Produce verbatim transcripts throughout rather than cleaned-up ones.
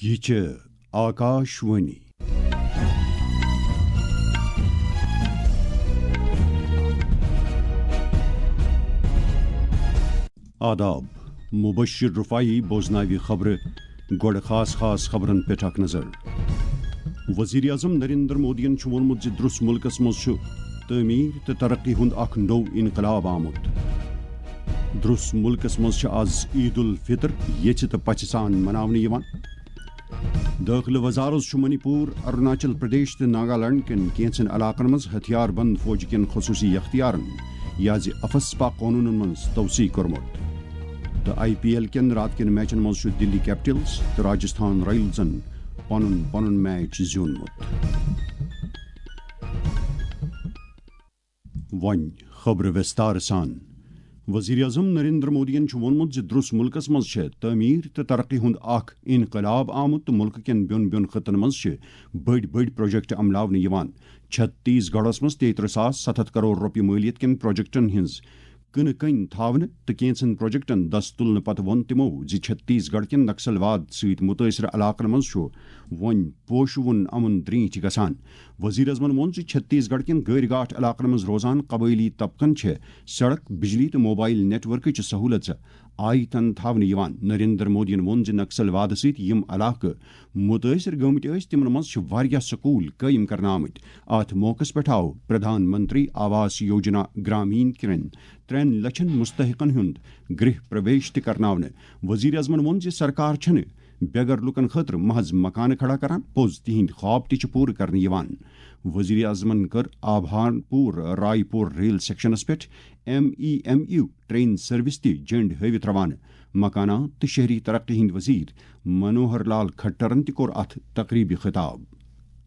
یہِ چھِ آکاشوانی۔ آداب، مبشر رفاعی بوزناوِ خبرٕ۔ گۄڈٕ خاص خاص خبرن پٮ۪ٹھ اکھ نظر۔ وزیر اعظم نریندر مودیَن چھُ ووٚنمُت زِ درٛس مُلکَس منٛز چھُ تعمیٖر تہٕ ترقی ہُنٛد اکھ نوٚو انقلاب آمُت۔ درٛس مُلکَس منٛز چھِ آز عید الفطر یژھِ تہٕ پژھِ سان مناونہٕ یِوان۔ دٲخلہٕ وزارت چھُ منی پوٗر، اروناچل پردیش تہٕ ناگالینڈ کٮ۪ن کینٛژن علاقن منٛز ہتھیار بند فوج کٮ۪ن خصوٗصی اختیارن یا زِ افسپا قونوٗنن منٛز توسیع کوٚرمُت۔ تہٕ آئی پی ایل کٮ۪ن راتہٕ کٮ۪ن میچن منٛز چھُ دِلی کیپٹلز تہٕ راجستھان رائلزن پنُن پنُن میچ زیوٗنمُت۔ وۄنۍ خبرٕ وِستار سان۔ وزیر اعظم نریندر مودیَن چھُ ووٚنمُت زِ درٛس مُلکَس منٛز چھےٚ تعمیٖر تہٕ ترقی ہُنٛد اکھ انقلاب آمُت تہٕ مُلکہٕ کٮ۪ن بیوٚن بیوٚن خطن منٛز چھِ بٔڑۍ بٔڑۍ پروجیکٹ عملاونہٕ یِوان۔ چھتیس گڑھس منٛز تیٚیہِ ترٕٛہ ساس ستھ ہتھ کرور رۄپیہِ مٲلیت کٮ۪ن پروجیکٹن ہٕنٛز کٕنہٕ کٔنۍ تھاونہٕ تہٕ کینٛژن پروجیکٹن دست تُلنہٕ پتہٕ ووٚن تِمو زِ چھتیس گڑھ کٮ۪ن نکسل واد سۭتۍ مُتٲثرٕ علاقن منٛز چھُ وۄنۍ پوشہٕ وُن امُن درینٹھ گژھان۔ وزیر اعظمن ووٚن زِ چھتیس گڑھ کٮ۪ن گٲرۍ گاٹھ علاقن منٛز روزان قبٲیلی طبقن چھِ سڑک، بجلی تہٕ موبائل نیٹ ورکٕچ سہولژ آیتن تھاونہٕ یِوان۔ نریندر مودیَن ووٚن زِ نکسل وادٕ سۭتۍ یِم علاقہٕ مُتٲثر گٔمٕتۍ ٲسۍ، تِمن منٛز چھِ واریاہ سکوٗل قٲیِم کرنہٕ آمٕتۍ۔ اتھ موقعس پٮ۪ٹھ آو پردھان منتری آواس یوجنا گرامین کٮ۪ن ترٛٮ۪ن لچھن مستحقن ہُنٛد گرہ پرویش تہِ کرناونہٕ۔ وزیر اعظمن ووٚن زِ سرکار چھنہٕ بے گھر لوٗکن خٲطرٕ محض مکانہٕ کھڑا کران، پوٚز تِہنٛدۍ خواب تہِ چھِ پوٗرٕ کرنہٕ یِوان۔ وزیر اعظمن کٔر آبھان پور رائے پور ریل سیکشنس پٮ۪ٹھ M E M U train service تہِ جھنڈ ہٲوِتھ روانہٕ۔ مکانات تہٕ شہری ترقی ہٕنٛدۍ وزیر منوہر لال کھٹرن تہِ کوٚر اتھ تقریبہِ خطاب۔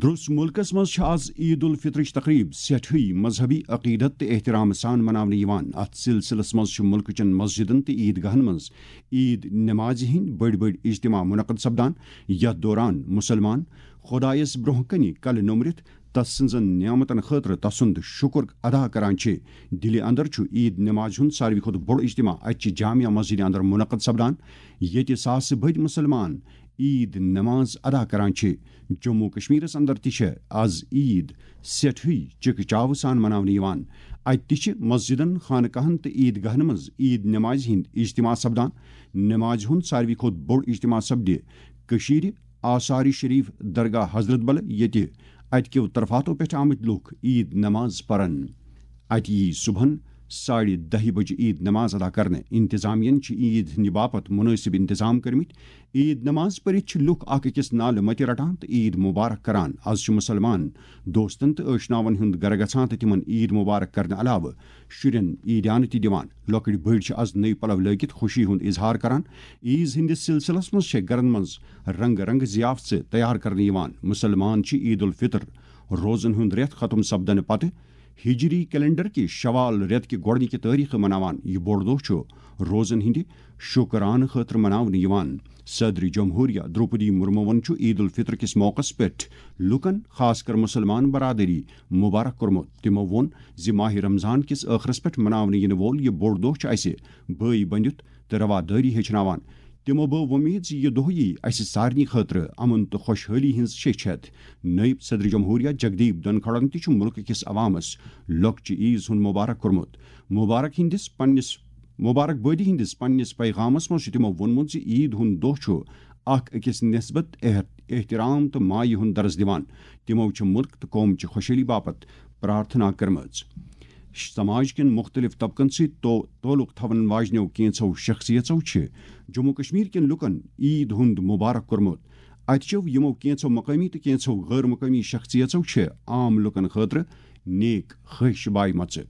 درٛس مُلکس منٛز چھِ آز عید الفطرٕچ تقریب سٮ۪ٹھٕے مذہبی عقیدت تہٕ احترام سان مناونہٕ یِوان۔ اتھ سلسلس منٛز چھِ مُلکہٕ چٮ۪ن مسجدن تہٕ عید گاہن منٛز عید نمازِ ہٕنٛدۍ بٔڑۍ بٔڑۍ اجتماع منعقد سپدان، یتھ دوران مُسلمان خۄدایس برٛونٛہہ کنہِ کلہٕ نوٚمرِتھ تس سٕنٛزن نعمتن خٲطرٕ تسُنٛد شُکر ادا کران چھِ۔ دِلہِ اندر چھُ عید نمازِ ہُنٛد ساروی کھۄتہٕ بوٚڑ اجتماع اَتہِ چہِ جامع مسجدِ اندر منعقد سپدان، ییٚتہِ ساسہٕ بٔدۍ مُسلمان عید نماز ادا کران چھِ۔ جموں و کشمیرس اندر تہِ چھےٚ از عید سٮ۪ٹھٕے چکہ چاوٕ سان مناونہٕ یِوان۔ اتہِ تہِ چھِ مسجدن، خانقاہن تہٕ عید گاہن منٛز عید نمازِ ہٕنٛدۍ اجتماع سپدان۔ نمازِ ہُنٛد ساروی کھۄتہٕ بوٚڑ اجتماع سپدِ کٔشیٖرِ آثار شریف درگاہ حضرت بل، ییٚتہِ اتہِ کیو طرفاتو پٮ۪ٹھ آمٕتۍ لوٗکھ عید نماز پرن۔ اتہِ یی صبحن ساڑِ دَہہِ بجہِ عید نماز ادا کرنہٕ۔ انتظامیہن چھِ عید ہٕنٛدِ باپتھ مُنٲسِب انتظام کٔرمٕتۍ۔ عید نماز پٔرِتھ چھِ لوٗکھ اکھ أکِس نالہٕ متہِ رٹان تہٕ عید مبارک کران۔ از چھِ مُسلمان دوستن تہٕ ٲشناون ہُنٛد گرٕ گژھان تہٕ تِمن عید مبارک کرنہٕ علاوٕ شُرٮ۪ن عیدیانہٕ تہِ دِوان۔ لۄکٕٹۍ بٔڑۍ چھِ از نٔوۍ پلو لٲگِتھ خوشی ہُنٛد اظہار کران۔ عیز ہٕنٛدِس سلسلس منٛز چھےٚ گرن منٛز رنگہٕ رنگہٕ ضیافتہٕ تیار کرنہٕ یِوان۔ مُسلمان چھِ عید الفطر روزن ہُنٛد رٮ۪تھ ختم سپدنہٕ پتہٕ ہجری کیلنڈر کہِ شوال رٮ۪تہٕ کہِ گۄڈٕنِکہِ تٲریخہٕ مناوان۔ یہِ بوٚڑ دۄہ چھُ روزن ہٕنٛدِ شُکرانہٕ خٲطرٕ مناونہٕ یِوان۔ صدر جمہوریہ درٛوپدی مرموَن چھُ عید الفطر کِس موقعس پٮ۪ٹھ لوٗکن، خاص کر مُسلمان برادری، مبارک کوٚرمُت۔ تِمو ووٚن زِ ماہ رمضان کِس ٲخرس پٮ۪ٹھ مناونہٕ یِنہٕ وول یہِ بوٚڑ دۄہ چھُ اَسہِ بٲے بٔنِتھ تہٕ روادٲری ہیٚچھناوان۔ تِمو بٲو وۄمید زِ یہِ دۄہ یِیہِ اَسہِ سارنٕے خٲطرٕ امن تہٕ خۄشحٲلی ہٕنٛز شیٚچھ ہٮ۪تھ۔ نٲیِب صدر جمہوریہ جگدیپ دھنکھڑَن تہِ چھُ مُلکہٕ کِس عوامس لۄکچہِ عیز ہُنٛد مبارک کوٚرمُت۔ مبارک ہٕنٛدِس پننِس، مبارک بٲدی ہٕنٛدِس پننِس پیغامس منٛز چھُ تِمو ووٚنمُت زِ عید ہُنٛد دۄہ چھُ اکھ أکِس نسبت احت-، احترام تہٕ مایہِ ہُنٛد درس دِوان۔ تِمو چھِ مُلک تہٕ قوم چہِ خۄشحٲلی باپتھ پرارتھنا کٔرمٕژ۔ سماج کٮ۪ن مُختٔلِف طبقن سۭتۍ تو-، تعلق تھاون واجنیو کینٛژھو شخصیژو چھِ جموں کشمیر کٮ۪ن لوٗکن عید ہُنٛد مبارک کوٚرمُت۔ اتہِ چھِو یِمو کینٛژھو مقٲمی تہٕ کینٛژھو غٲر مقٲمی شخصیژو چھِ عام لوٗکن خٲطرٕ نیک خواہش بایمژٕ۔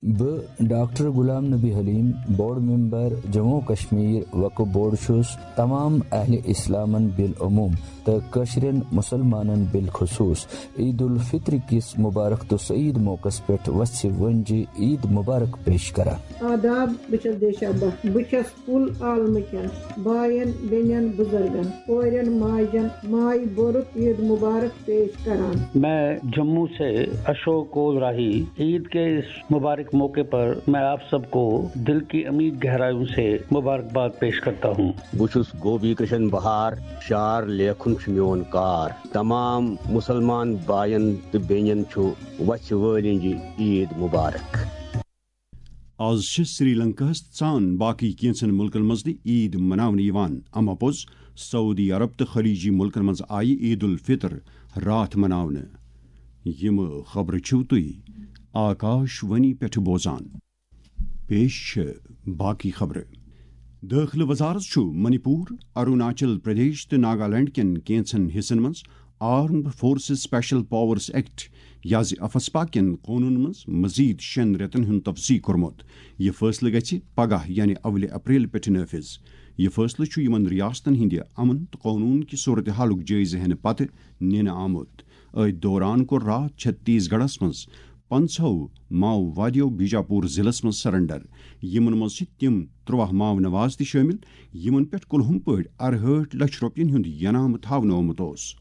بہٕ ڈاکٹر غلام نبی حلیم، بورڈ ممبر جموں کشمیر وقف بورڈ، چھُس تمام اہل اسلامن بالعموم تہٕ کٲشرٮ۪ن مسلمانن بالخصوص عید الفطر کِس مبارک تہٕ سعید موقعس پٮ۪ٹھ وژھِ وٲنجہِ عید مبارک پیش کران۔ آداب، بہٕ چھَس دیشا بٹ۔ بہٕ چھَس کُل عالمہٕ کٮ۪ن باین، بیٚنٮ۪ن، بُزرگن، کورٮ۪ن، ماجن مایہِ بوٚرُت عید مبارک پیش کران۔ میں جموں سے اشوک کول راہی عید کے اس مبارک मौके पर मैं आप सबको दिल की अमीर गहराइयों से मुबारकबाद पेश करता हूँ। بہٕ چھُس گوپی کرشن بہار، شار لیکھُن چھُ میون کار۔ تمام مسلمان باین تہٕ بیٚنٮ۪ن چھُ وژھِ وٲلِنجہِ عید مبارک۔ آز چھِ سری لنکاہس ژان باقٕے کینٛژن مُلکن منٛز تہِ عید مناونہٕ یِوان۔ اما پوٚز، سعودی عرب تہٕ خلیجی مُلکن منٛز آیہِ عید الفطر راتھ مناونہٕ۔ یِم خبرٕ چھِو تُہۍ آکاش وانی پٮ۪ٹھ بوزان۔ پیش چھِ باقٕے خبرٕ۔ دٲخلہٕ وزارت چھُ منی پوٗر، اروناچل پردیش تہٕ ناگالینڈ کٮ۪ن کینٛژن حصن منٛز armed forces special powers act یا زِ افسپا کٮ۪ن قونوٗنن منٛز مزید شٮ۪ن رٮ۪تن ہُنٛد توسیع کوٚرمُت۔ یہِ فٲصلہٕ گژھِ پگاہ یعنی اولہِ اپریل پٮ۪ٹھٕ نافذ۔ یہِ فٲصلہٕ چھُ یِمن ریاستن ہٕنٛدِ امن تہٕ قونوٗن کہِ صورتحالُک جٲیزٕ ہٮ۪نہٕ پتہٕ نِنہٕ آمُت۔ أتھۍ دوران کوٚر راتھ چھتیس گڑھس منٛز پنٛژہو ماؤوادیو بیجاپور ضلعس منٛز سرنڈر۔ یِمن منٛز چھِ تِم ترٛواہ ماؤ نواز تہِ شٲمِل، یِمن پٮ۪ٹھ کُلہُم پٲٹھۍ ارہٲٹھ لچھ رۄپین ہُنٛد ینامہٕ تھاونہٕ آمُت اوس۔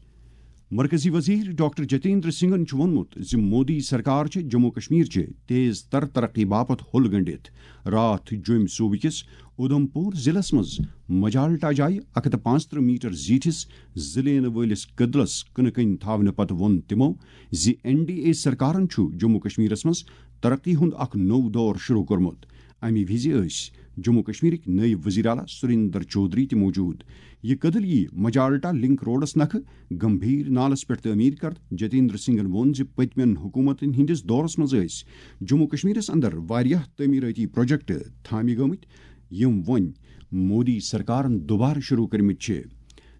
مرکزی وزیر ڈاکٹر جتیندر سنگھن چھُ ووٚنمُت زِ مودی سرکار چھِ جموں کشمیر چہِ تیز تر ترقی باپتھ ہوٚل گنڈِتھ۔ راتھ جوٚمۍ صوبہٕ کِس اُدھمپور ضلعس منٛز مجالٹا جایہِ اکھ ہتھ تہٕ پانٛژترٕہ میٹر زیٖٹھِس زٕ لینہٕ وٲلِس کٔدلس کٕنہٕ کٔنۍ تھاونہٕ پتہٕ ووٚن تِمو زِ این ڈی اے سرکارن چھُ جموں کشمیرس منٛز ترقی ہُنٛد اکھ نوٚو دور شروع کوٚرمُت۔ امہِ وِزِ ٲسۍ جموں کشمیرٕکۍ نٲیِب وزیر اعلیٰ سریندر چودھری تہِ موجود۔ یہِ کٔدٕل یِیہِ مجالٹا لنک روڈس نکھٕ گمبھیر نالس پٮ۪ٹھ تعمیٖر کرنہٕ۔ جتیندر سنگھن ووٚن زِ پٔتمٮ۪ن حکوٗمتن ہٕنٛدِس دورس منٛز ٲسۍ جموں کشمیرس اندر واریاہ تعمیٖرٲتی پروجیکٹ تھامہِ گٲمٕتۍ، یِم وۄنۍ مودی سرکارن دوبارٕ شروع کٔرمٕتۍ چھِ۔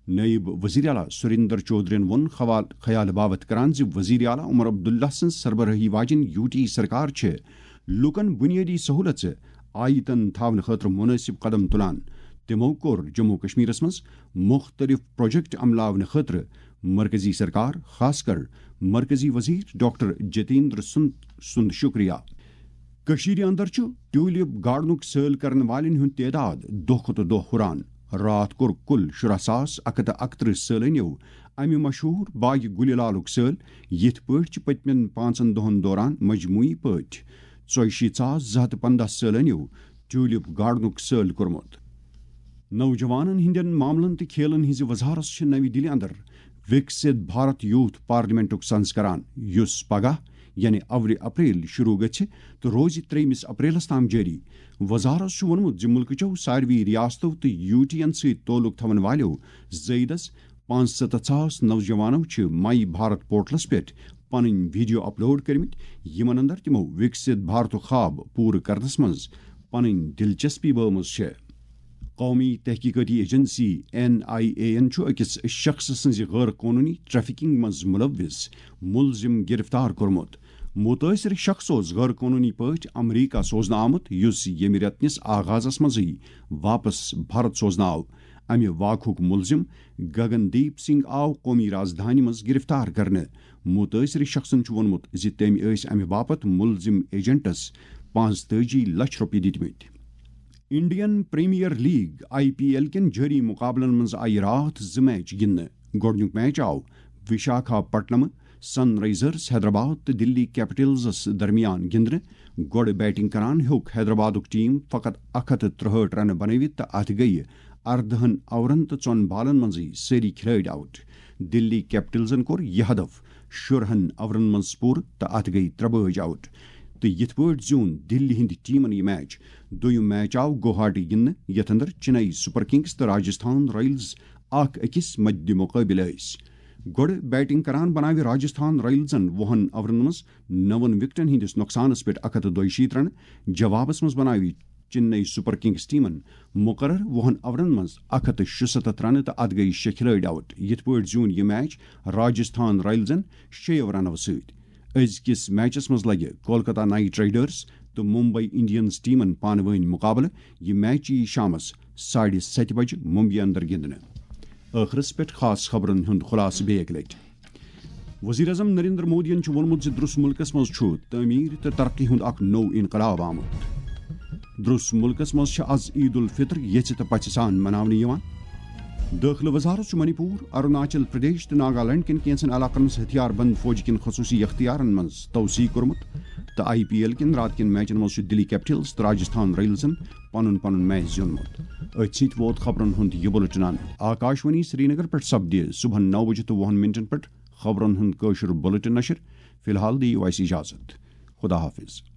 نٲیِب وزیر اعلیٰ سریندر چودھرین ووٚن خوال-، خیال باوت کران زِ وزیر اعلیٰ عمر عبداللہ سٕنٛز سربرٲہی واجٮ۪ن یو ٹی سرکار چھِ لوٗکن بُنیٲدی سہوٗلژٕ آیتن تھاونہٕ خٲطرٕ مُنٲسِب قدم تُلان۔ تِمو کوٚر جموں کشمیرس منٛز مُختٔلِف پروجیکٹ عملاونہٕ خٲطرٕ مرکزی سرکار، خاص کر مرکزی وزیر ڈاکٹر جتیندر سُنٛد، سُنٛد شُکریہ۔ کٔشیٖرِ اندر چھُ ٹیولپ گارڈنُک سٲل کرن والٮ۪ن ہُنٛد تعداد دۄہ کھۄتہٕ دۄہ ہُران۔ راتھ کوٚر کُل شُراہ ساس اکھ ہتھ تہٕ اکترٕہ سٲلٲنیو امہِ مشہوٗر باغ گُلہِ لالُک سٲل، یِتھ پٲٹھۍ چھِ پٔتمٮ۪ن پانٛژن دۄہن دوران مجموعی پٲٹھۍ ژۄیہِ شیٖتھ ساس زٕ ہتھ تہٕ پنٛداہ سٲلٲنیو ٹیولپ گارڈنُک سٲل کوٚرمُت۔ نوجوانن ہٕنٛدٮ۪ن معاملن تہٕ کھیلن ہٕنٛزِ وزارت چھِ نَوِ دِلہِ اندر وِکسِت بھارت یوٗتھ پارلیمنٹُک سنز کران، یُس پگاہ یعنی اولہِ اپریل شروع گژھِ تہٕ روزِ ترٛیٚیمِس اپریلس تام جٲری۔ وزارت چھُ ووٚنمُت زِ مُلکٕچو ساروٕے ریاستو تہٕ یوٗ ٹی ین سۭتۍ تعلق تھاون والٮ۪و زٲیدس پانٛژھ ستتھ ساس نوجوانو چھِ مائی بھارت پورٹلس پٮ۪ٹھ پنٕنۍ ویڈیو اپلوڈ کٔرمٕتۍ، یِمن اندر تِمو وِکسِت بھارتُک خواب پوٗرٕ کرنس منٛز پنٕنۍ دلچسپی بٲومٕژ چھےٚ۔ قومی تحقیقاتی ایجنسی این آئی اے یَن چھُ أکِس شخص سٕنٛزِ غٲر قونوٗنی ٹریفکنگ منٛز مُلوِث مُلزِم گِرِفتار کوٚرمُت۔ مُتٲثِر شخص اوس غٲر قونوٗنی پٲٹھۍ امریکہ سوزنہٕ آمُت، یُس ییٚمہِ رٮ۪تہٕ کِس آغازس منٛزٕے واپس بھارت سوزنہٕ آو۔ امہِ واقعُک مُلزِم گگن دیپ سنگھ آو قومی رازدھانی منٛز گِرِفتار کرنہٕ۔ مُتٲثِر شخصن چھُ ووٚنمُت زِ تٔمۍ ٲسۍ امہِ باپتھ مُلزِم ایجنٹس پانٛژتٲجی لچھ رۄپیہِ دِتمٕتۍ۔ Indian premier league, I P L, کٮ۪ن جٲری مُقابلن منٛز آیہِ راتھ زٕ میچ گِنٛدنہٕ۔ گۄڈٕنیُک میچ آو وشاکھا پٹنمہٕ سن رائزرز حیدرآباد تہٕ دلی کیپٹلزس درمیان گِنٛدنہٕ۔ گۄڈٕ بیٹنگ کران ہیوٚک حیدرآبادُک ٹیم فقط اکھ ہتھ تہٕ ترٛہٲٹھ رنہٕ بنٲوِتھ تہٕ اتھ گٔیہِ اردہن اوورن تہٕ ژۄن بالن منٛزٕے سٲری کھلٲڑۍ آؤٹ۔ دلی کیپٹلزن کوٚر یہِ ہدف شُرہن اوورن منٛز پوٗرٕ تہٕ اتھ گٔیہِ ترٛےٚ بٲجۍ آؤٹ۔ تہٕ یِتھ پٲٹھۍ زیوٗن دِلہِ ہٕنٛدِ ٹیمن یہِ میچ۔ دوٚیُم میچ آو گوہاٹی گِنٛدنہٕ، یتھ اندر چنئی سپر کنگز تہٕ راجستھان رائلز اکھ أکِس مدِ مقٲبل ٲسۍ۔ گۄڈٕ بیٹنگ کران بناوِ راجستھان رائلزن وُہن اوورن منٛز نون وکٹن ہٕنٛدِس نۄقصانس پٮ۪ٹھ اکھ ہتھ تہٕ دۄیہِ شیٖتھ رنہٕ۔ جوابس منٛز بناوِ چنئی سپر کنگز ٹیمن مقرر وُہن اوورن منٛز اکھ ہتھ تہٕ شُستتھ رنہٕ تہٕ اتھ گٔیہِ شےٚ کھلٲڑۍ آؤٹ۔ یِتھ پٲٹھۍ زیوٗن یہِ میچ راجستھان رائلزن شیٚیو رنو سۭتۍ۔ أزکِس میچس منٛز لگہِ کولکتہ نائٹ رائیڈرز تہٕ ممبئی انڈینز ٹیمن پانہٕ وٲنۍ مقابلہٕ۔ یہِ میچ یِیہِ شامس ساڑِ ستہِ بجہِ ممبئی اندر گِنٛدنہٕ۔ ٲخرس پٮ۪ٹھ خاص خبرن ہُنٛد خلاصہٕ بیٚیہِ اکہِ لٹہِ۔ وزیر اعظم نریندر مودیَن چھُ ووٚنمُت زِ درس مُلکَس منٛز چھُ تعمیٖر تہٕ ترقی ہُنٛد اکھ نوٚو انقلاب آمُت۔ درس مُلکَس منٛز چھِ از عید الفطر یژھِ تہٕ پژھِ سان مناونہٕ یِوان۔ دٲخلہٕ وزارت چھُ منی پور، اروناچل پردیش تہٕ ناگالینڈ کٮ۪ن کینٛژن علاقن منٛز ہتھیار بند فوج کٮ۪ن خصوٗصی اختیارن منٛز توسیع کوٚرمُت۔ تہٕ آئی پی ایل کٮ۪ن راتہٕ کٮ۪ن میچن منٛز چھُ دِلی کیپٹلز تہٕ راجستھان رائلزن پنُن پنُن میچ زیوٗنمُت۔ أتھۍ سۭتۍ ووت خبرن ہُنٛد یہِ بُلٹن اند۔ آکاشوانی سرینگر پٮ۪ٹھ سپدِ صبحن نو بجہِ تہٕ وُہن منٹن پٮ۪ٹھ خبرن ہُنٛد کٲشُر بُلٹن نشر۔ فی الحال دِیِو اَسہِ اجازت۔ خدا حافظ۔